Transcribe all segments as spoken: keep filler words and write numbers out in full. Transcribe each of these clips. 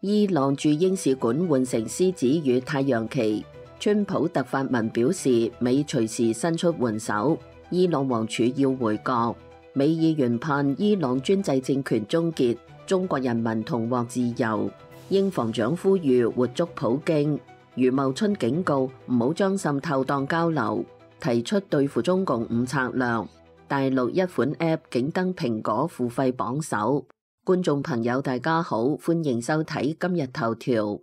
伊朗駐英使館換成獅子與太陽旗。川普特發文表示，美隨時伸出援手，伊朗王儲要回國。美議員盼伊朗專制政權終結，中國人民同獲自由。英防長呼籲活捉普京。余茂春警告唔好將滲透當交流，提出對付中共五策略。大陸一款 App 竟登蘋果付費榜首。觀眾朋友大家好，歡迎收睇今日頭條。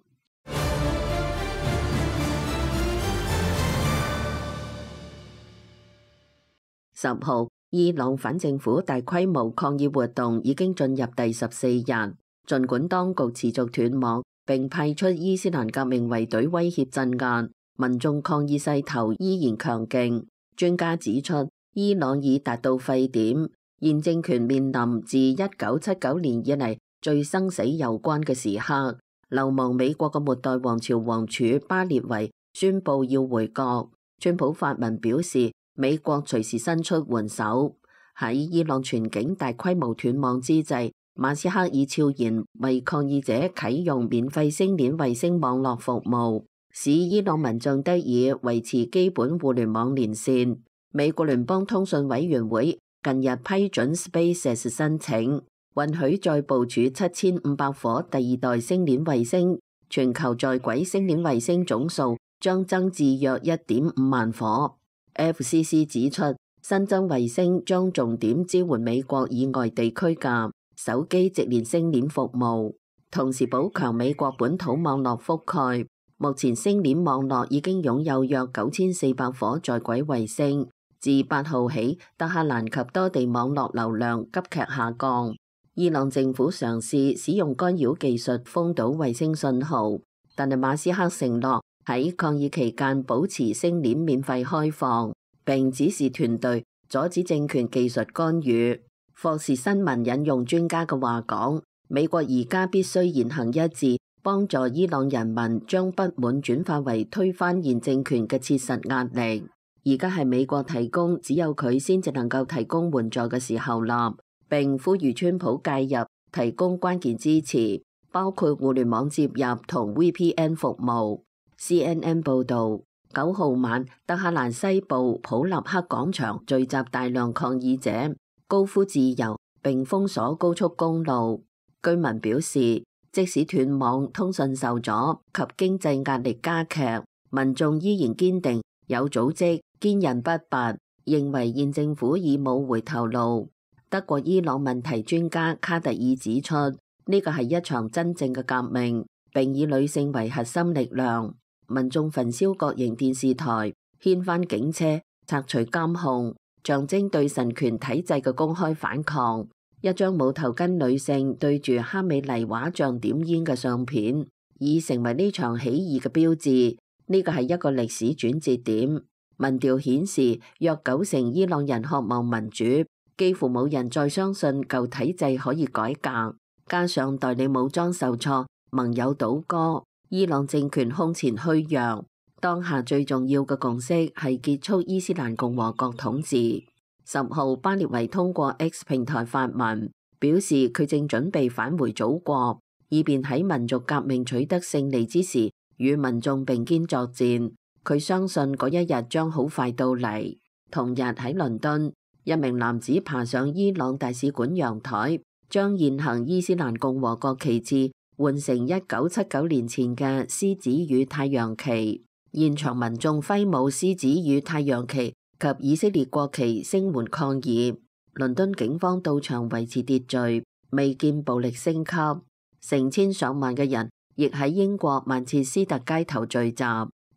十號，伊朗反政府大規模抗議活動已經進入第十四日，儘管當局持續斷網並派出伊斯蘭革命衛隊威脅鎮壓，民眾抗議勢頭依然強勁。專家指出，伊朗已達到沸點，現政權面臨自一九七九年以嚟最生死攸關嘅時刻。流亡美國嘅末代王朝王儲巴列維宣布要回國。川普發文表示，美國隨時伸出援手。喺伊朗全境大規模斷網之際，馬斯克已悄然為抗議者啟用免費星鏈衛星網絡服務，使伊朗民眾得以維持基本互聯網連線。美國聯邦通訊委員會近日批准 SpaceX 申請，允許再部署七千五百顆第二代星鏈衛星，全球在軌星鏈衛星總數將增至約一點五萬顆。F C C 指出，新增衛星將重點支援美國以外地區嘅手機直連星鏈服務，同時補強美國本土網絡覆蓋。目前星鏈網絡已經擁有約九千四百顆在軌衛星。自八號起，德黑蘭及多地網絡流量急劇下降。伊朗政府嘗試使用干擾技術封堵衛星信號，但係馬斯克承諾喺抗議期間保持星鏈免費開放，並指示團隊阻止政權技術干預。霍士新聞引用專家嘅話講，美國而家必須言行一致，幫助伊朗人民將不滿轉化為推翻現政權嘅切實壓力。而家係美國提供，只有佢先至能夠提供援助嘅時候啦，並呼籲川普介入，提供關鍵支持，包括互聯網接入同 V P N 服務。C N N 報導，九號晚，德黑蘭西部普立克廣場聚集大量抗議者，高呼自由並封鎖高速公路。居民表示，即使斷網、通訊受阻及經濟壓力加劇，民眾依然堅定、有組織、堅韌不拔，認為現政府已冇回頭路。德國伊朗問題專家卡特爾指出，呢個係一場真正嘅革命，並以女性為核心力量。民眾焚燒國營電視台，掀翻警車，拆除監控，象徵對神權體制嘅公開反抗。一張冇頭巾女性對住哈美尼畫像點煙嘅相片，已成為呢場起義嘅標誌。呢個係一個歷史轉折點。民調顯示，約九成伊朗人渴望民主，幾乎冇人再相信舊體制可以改革。加上代理武裝受挫，盟友倒戈，伊朗政權空前虛弱。當下最重要嘅共識係結束伊斯蘭共和國統治。十號，巴列維通過 X 平台發文，表示佢正準備返回祖國，以便喺民族革命取得勝利之時，與民眾並肩作戰。佢相信嗰一日將好快到嚟。同日喺倫敦，一名男子爬上伊朗大使館陽台，將現行伊斯蘭共和國旗幟換成一九七九年前嘅獅子與太陽旗。現場民眾揮舞獅子與太陽旗及以色列國旗聲援抗議。倫敦警方到場維持秩序，未見暴力升級。成千上萬嘅人亦喺英國曼徹斯特街頭聚集，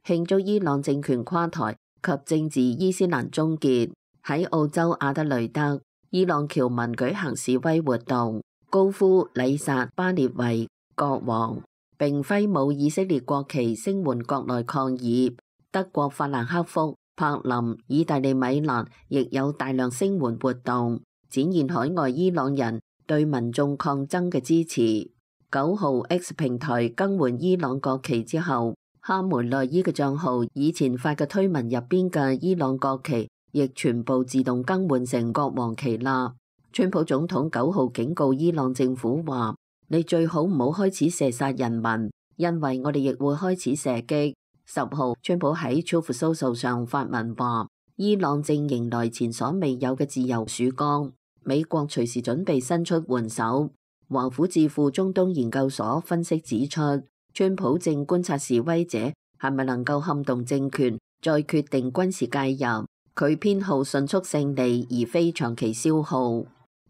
慶祝伊朗政權垮台及政治伊斯蘭終結。喺澳洲阿德雷德，伊朗僑民舉行示威活動，高呼禮殺巴列維國王，並揮舞以色列國旗聲援國內抗議。德國法蘭克福、柏林、意大利米蘭亦有大量聲援活動，展現海外伊朗人對民眾抗爭嘅支持。九號 X 平台更換伊朗國旗之後，哈梅內伊嘅賬號以前發嘅推文入邊嘅伊朗國旗亦全部自動更換成國王旗啦。川普總統九號警告伊朗政府話，你最好唔好開始射殺人民，因為我哋亦會開始射擊。十號，川普喺 Truth Social 上發文話，伊朗正迎來前所未有嘅自由曙光，美國隨時準備伸出援手。華府智庫中東研究所分析指出，川普正觀察示威者係咪能夠撼動政權，再決定軍事介入。佢偏好迅速勝利，而非長期消耗。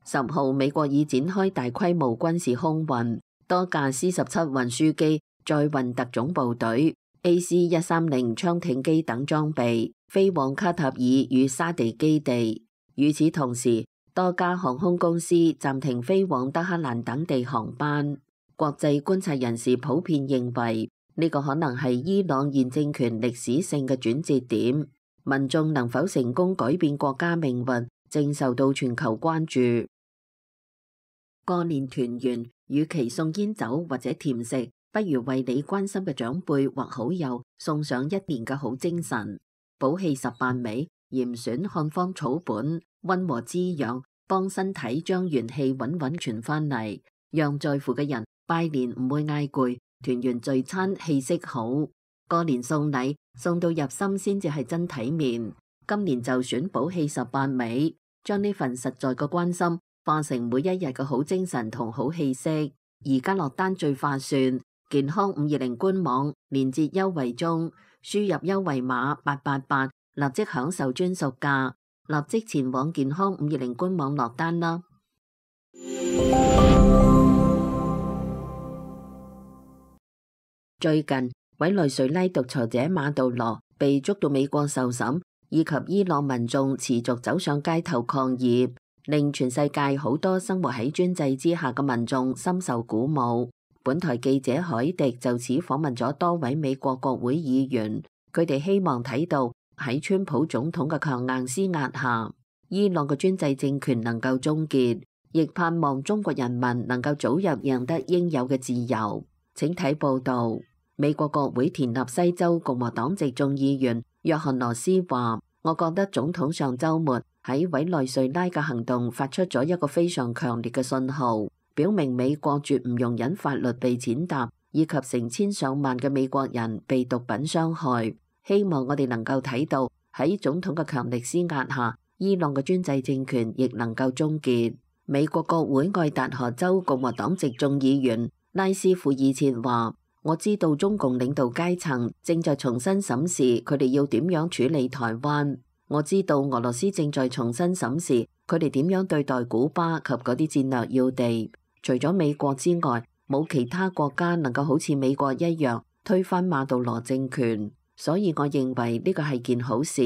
十號，美國已展開大規模軍事空運，多架 C 十七運輸機載運特種部隊 A C 一三零槍艇機等裝備，飛往卡塔爾與沙地基地。與此同時，多家航空公司暫停飛往德黑蘭等地航班。國際觀察人士普遍認為，呢個可能係伊朗現政權歷史性嘅轉折點。民眾能否成功改變國家命運，正受到全球關注。過年團圓，與其送煙酒或者甜食，不如為你關心嘅長輩或好友送上一年嘅好精神。補氣十八味，嚴選漢方草本，溫和滋養，幫身體將元氣穩穩傳翻嚟，讓在乎嘅人拜年唔會嗌攰，團圓聚餐氣息好。過年送禮送到入心先至係真體面。今年就選補氣十八味，將呢份實在嘅關心化成每一日嘅好精神同好氣息。而家落單最划算，健康五二零官網連結優惠中，輸入優惠碼八八八，立即享受專屬價，立即前往健康五二零官網落單啦。最近委內瑞拉獨裁者馬杜羅被捉到美國受審，以及伊朗民眾持續走上街頭抗議，令全世界好多生活喺專制之下嘅民眾深受鼓舞。本台記者海迪就此訪問咗多位美國國會議員，佢哋希望睇到喺川普總統嘅強硬施壓下，伊朗嘅專制政權能夠終結，亦盼望中國人民能夠早日贏得應有嘅自由。請睇報道。美國國會田納西州共和黨籍眾議員約翰羅斯話，我覺得總統上週末喺委內瑞拉嘅行動發出咗一個非常強烈嘅信號，表明美國絕唔容忍法律被踐踏，以及成千上萬嘅美國人被毒品傷害。希望我哋能夠睇到喺總統嘅強力施壓下，伊朗嘅專制政權亦能夠終結。美國國會愛達荷州共和黨籍眾議員拉斯庫爾切話，我知道中共領導階層正在重新審視佢哋要點樣處理台灣。我知道俄羅斯正在重新審視佢哋點樣對待古巴及嗰啲戰略要地。除咗美國之外，冇其他國家能夠好似美國一樣推翻馬杜羅政權。所以我認為呢個係件好事，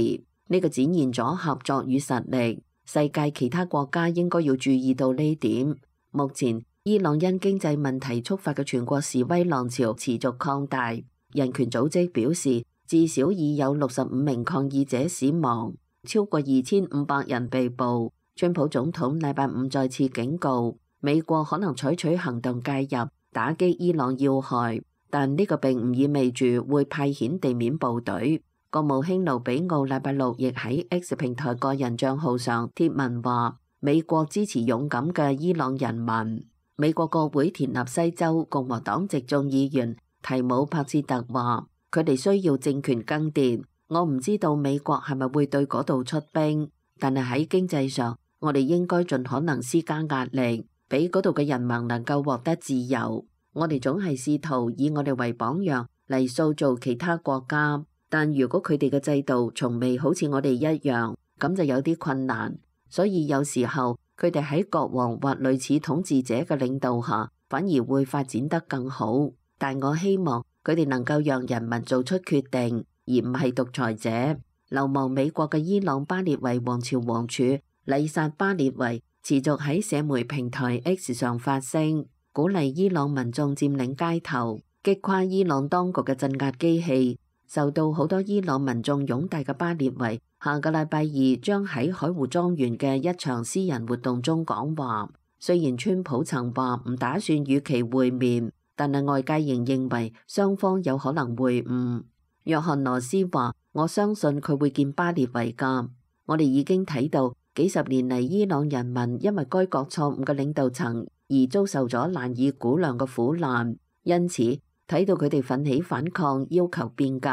呢個展現咗合作與實力。世界其他國家應該要注意到呢點。目前伊朗因經濟問題觸發嘅全國示威浪潮持續擴大，人權組織表示至少已有六十五名抗議者死亡，超過二千五百人被捕。川普總統禮拜五再次警告，美國可能採取行動介入，打擊伊朗要害，但呢個並唔意味住會派遣地面部隊。國務卿盧比奧禮拜六亦喺 X 平台個人帳號上貼文話，美國支持勇敢嘅伊朗人民。美國國會田納西州共和黨籍眾議員提姆帕切特話，佢哋需要政權更迭。我唔知道美國係咪會對嗰度出兵，但係喺經濟上，我哋應該盡可能施加壓力，俾嗰度嘅人民能夠獲得自由。我哋總係試圖以我哋為榜樣嚟塑造其他國家，但如果佢哋嘅制度從未好似我哋一樣，咁就有啲困難。所以有時候，佢哋喺國王或類似統治者嘅領導下，反而會發展得更好。但我希望佢哋能夠讓人民做出決定，而唔係獨裁者。流亡美國嘅伊朗巴列維王朝王儲麗薩巴列維持續喺社媒平台 X 上發聲，鼓勵伊朗民眾佔領街頭，擊垮伊朗當局嘅鎮壓機器。受到好多伊朗民眾擁戴嘅巴列維，下個禮拜二將喺海湖莊園嘅一場私人活動中講話。雖然川普曾話唔打算與其會面，但係外界仍認為雙方有可能會晤。約翰羅斯話：我相信佢會見巴列維㗎。我哋已經睇到幾十年嚟伊朗人民因為該國錯誤嘅領導層而遭受咗難以估量嘅苦難，因此睇到佢哋奮起反抗，要求變革，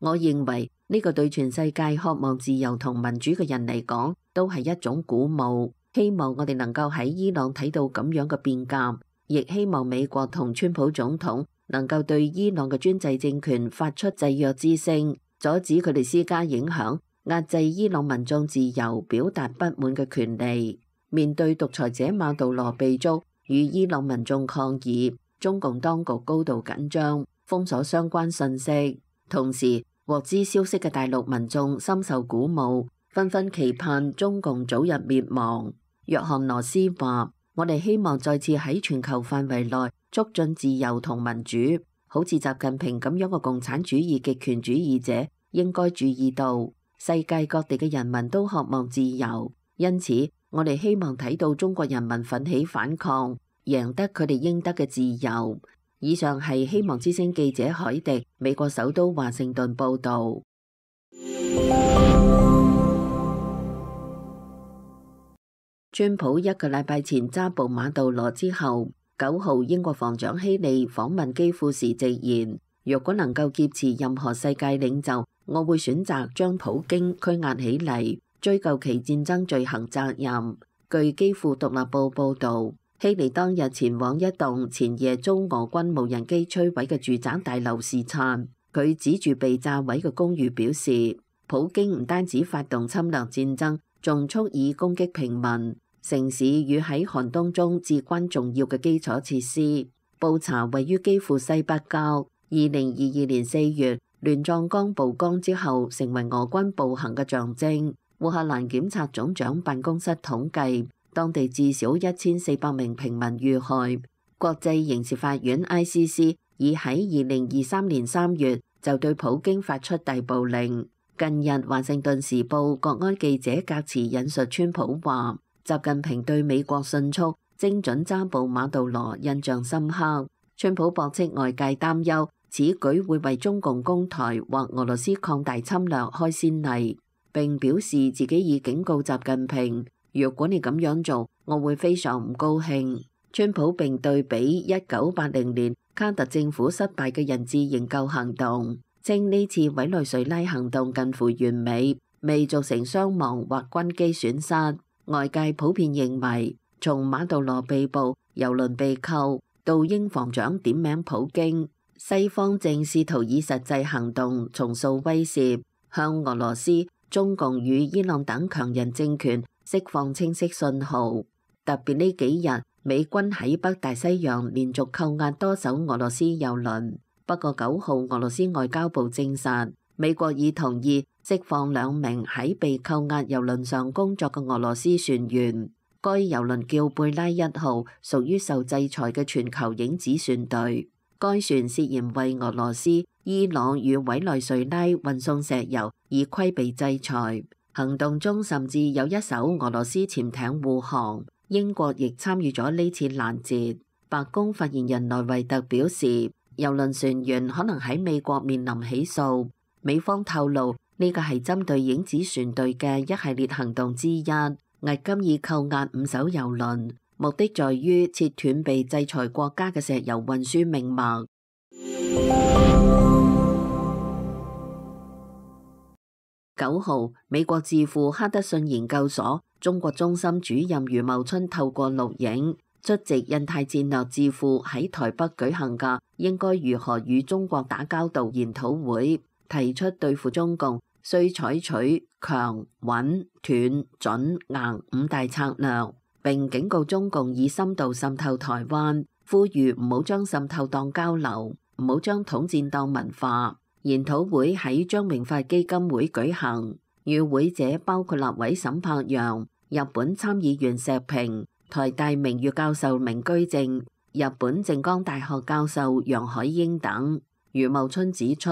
我認為呢個對全世界渴望自由同民主嘅人嚟講，都係一種鼓舞。希望我哋能夠喺伊朗睇到咁樣嘅變革，亦希望美國同川普總統能夠對伊朗嘅專制政權發出制約之聲，阻止佢哋施加影響，壓制伊朗民眾自由表達不滿嘅權利。面對獨裁者馬杜羅被捉，與伊朗民眾抗議，中共當局高度緊張，封鎖相關信息。同時，獲知消息嘅大陸民眾深受鼓舞，紛紛期盼中共早日滅亡。約翰羅斯話：我哋希望再次喺全球範圍內促進自由同民主，好似習近平咁樣嘅共產主義極權主義者應該注意到，世界各地嘅人民都渴望自由，因此我哋希望睇到中國人民奮起反抗，贏得佢哋應得嘅自由。以上係希望之聲記者海迪，美國首都華盛頓報導。川普一個禮拜前揸捕馬杜羅之後，九號英國防長希利訪問基輔時直言：若果能夠劫持任何世界領袖，我會選擇將普京拘押起嚟，追究其戰爭罪行責任。據基輔獨立報報導，希利當日前往一棟前夜遭俄軍無人機摧毀嘅住宅大樓視察，佢指住被炸毀嘅公寓表示：普京唔單止發動侵略戰爭，仲蓄意攻擊平民、城市與喺寒冬中至關重要嘅基礎設施。布查位於基輔西北郊，二零二二年四月亂葬崗曝光之後，成為俄軍暴行嘅象徵。烏克蘭檢察總長辦公室統計，當地至少一千四百名平民遇害。國際刑事法院 I C C 已喺二零二三年三月就對普京發出逮捕令。近日，華盛頓時報國安記者格茨引述川普話：習近平對美國迅速、精準揸捕馬杜羅印象深刻。川普駁斥外界擔憂，此舉會為中共攻台或俄羅斯擴大侵略開先例，並表示自己已警告習近平：如果你咁樣做，我會非常唔高興。川普並對比一九八零年卡特政府失敗嘅人質營救行動，稱呢次委內瑞拉行動近乎完美，未造成傷亡或軍機損失。外界普遍認為，從馬杜羅被捕、郵輪被扣到英防長點名普京，西方正試圖以實際行動重塑威懾，向俄羅斯、中共與伊朗等強人政權釋放清晰信號。特別呢幾日，美軍喺北大西洋連續扣押多艘俄羅斯郵輪。不過九號俄羅斯外交部證實，美國已同意釋放兩名喺被扣押郵輪上工作嘅俄羅斯船員。該郵輪叫貝拉一號，屬於受制裁嘅全球影子船隊。該船涉嫌為俄羅斯、伊朗與委內瑞拉運送石油，以規避制裁。行動中甚至有一艘俄羅斯潛艇護航。英國亦參與咗呢次攔截。白宮發言人萊維特表示，郵輪船員可能喺美國面臨起訴。美方透露，呢個係針對影子船隊嘅一系列行動之一，迄今已扣押五艘郵輪，目的在於切斷被制裁國家嘅石油運輸命脈。九號，美國智庫哈德遜研究所中國中心主任余茂春透過錄影出席印太戰略智庫喺台北舉行嘅應該如何與中國打交道研討會，提出對付中共需採取強、穩、斷、準、硬五大策略，並警告中共以深度滲透台灣，呼籲唔好將滲透當交流，唔好將統戰當文化。研討會喺張榮發基金會舉行，與會者包括立委沈柏陽、日本參議員石平、台大名譽教授明居正、日本靜岡大學教授楊海英等。余茂春指出，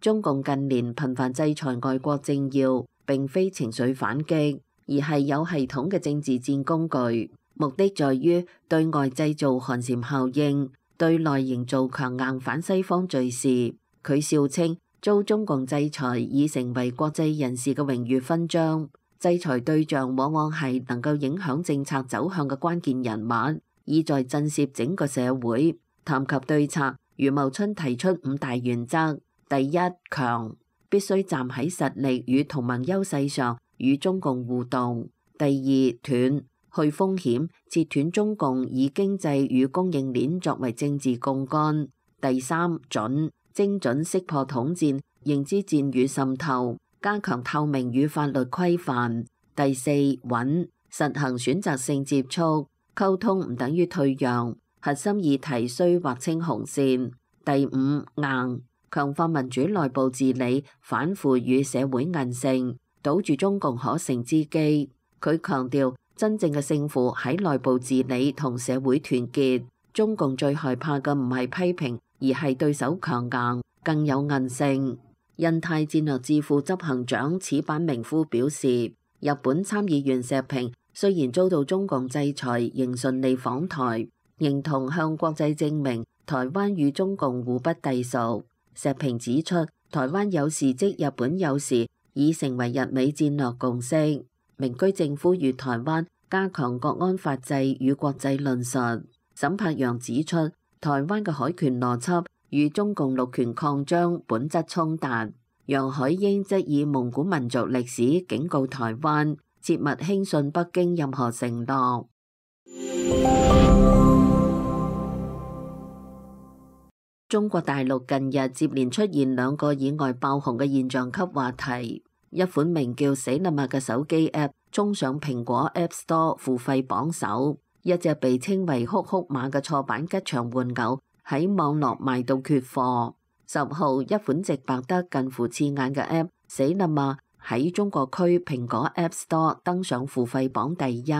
中共近年頻繁制裁外國政要，並非情緒反擊，而係有系統嘅政治戰工具，目的在於對外製造寒蟬效應，對內營造強硬反西方敘事。佢笑稱，遭中共制裁已成為國際人士嘅榮譽勳章，制裁對象往往係能夠影響政策走向嘅關鍵人物，意在震懾整個社會。談及對策，余茂春提出五大原則：第一，強，必須站喺實力與同盟優勢上與中共互動；第二，斷，去風險，切斷中共以經濟與供應鏈作為政治槓桿；第三，準，精準識破統戰、認知戰與滲透，加強透明與法律規範；第四，穩，實行選擇性接觸，溝通唔等於退讓。核心議題需劃清紅線。第五，硬，強化民主內部治理，反腐與社會韌性，堵住中共可乘之機。佢強調，真正嘅勝負喺內部治理同社會團結。中共最害怕嘅唔係批評，而係對手強硬，更有韌性。印太戰略智庫執行長矢板明夫表示，日本參議員石平雖然遭到中共制裁，仍順利訪台，認同向國際證明台灣與中共互不隸屬。石平指出，台灣有事即日本有事，已成為日美戰略共識。明居正呼籲台灣加強國安法制與國際論述。沈柏陽指出，台灣嘅海權邏輯與中共陸權擴張本質衝突。楊海英則以蒙古民族歷史警告台灣，切勿輕信北京任何承諾。中國大陸近日接連出現兩個意外爆紅嘅現象級話題，一款名叫死啦嘛嘅手機 App 衝上蘋果 App Store 付費榜首，一隻被稱為哭哭馬嘅錯版吉祥玩偶喺網絡賣到缺貨。十號，一款直白得近乎刺眼嘅 App 死啦嘛喺中國區蘋果 App Store 登上付費榜第一，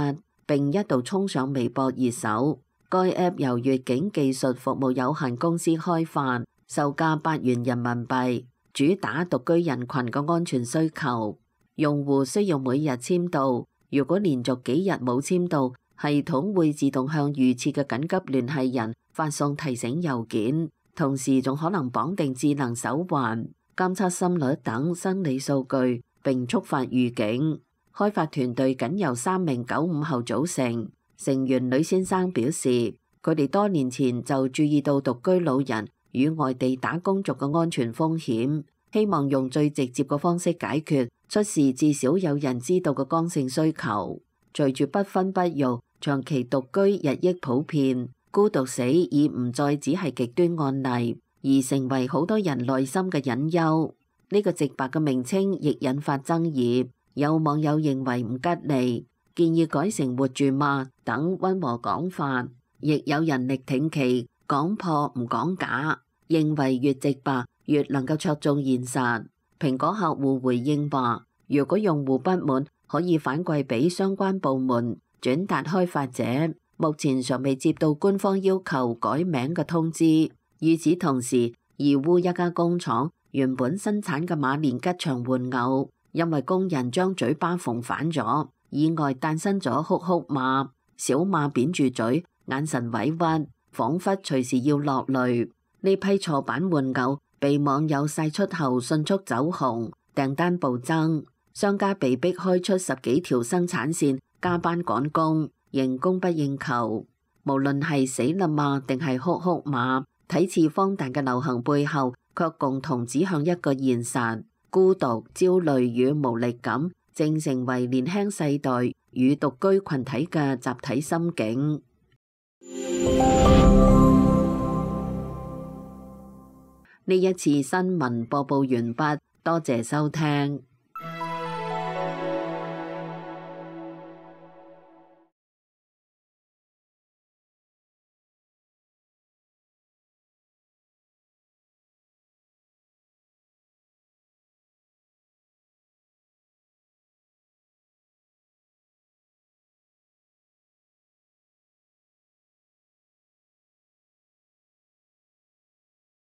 並一度衝上微博熱搜。該 App 由粵景技術服務有限公司開發，售價八元人民幣，主打獨居人群嘅安全需求。用戶需要每日簽到，如果連續幾日冇簽到，系統會自動向預設嘅緊急聯繫人發送提醒郵件，同時仲可能綁定智能手環，監測心率等生理數據，並觸發預警。開發團隊僅由三名九五後組成。成員呂先生表示，佢哋多年前就注意到獨居老人與外地打工族嘅安全風險，希望用最直接嘅方式解決出事至少有人知道嘅剛性需求。隨住不婚不育、長期獨居日益普遍，孤獨死已唔再只係極端案例，而成為好多人內心嘅隱憂。呢個直白嘅名稱亦引發爭議，有網友認為唔吉利，建議改成活住嘛等溫和講法，亦有人力挺其講破唔講假，認為越直白越能夠戳中現實。蘋果客戶回應話，如果用戶不滿，可以反饋俾相關部門轉達開發者，目前尚未接到官方要求改名嘅通知。與此同時，義烏一家工廠原本生產嘅馬連吉祥玩偶，因為工人將嘴巴縫反咗，意外誕生咗哭哭馬，小馬扁住嘴，眼神委屈，彷彿隨時要落淚。呢批錯版玩偶被網友晒出後迅速走紅，訂單暴增，商家被迫開出十幾條生產線，加班趕工，仍供不應求。無論係死啦嘛定係哭哭馬，睇似荒誕嘅流行背後，卻共同指向一個現實：孤獨、焦慮與無力感正成為年輕世代與獨居群體嘅集體心境。呢一次新聞播報完畢，多謝收聽。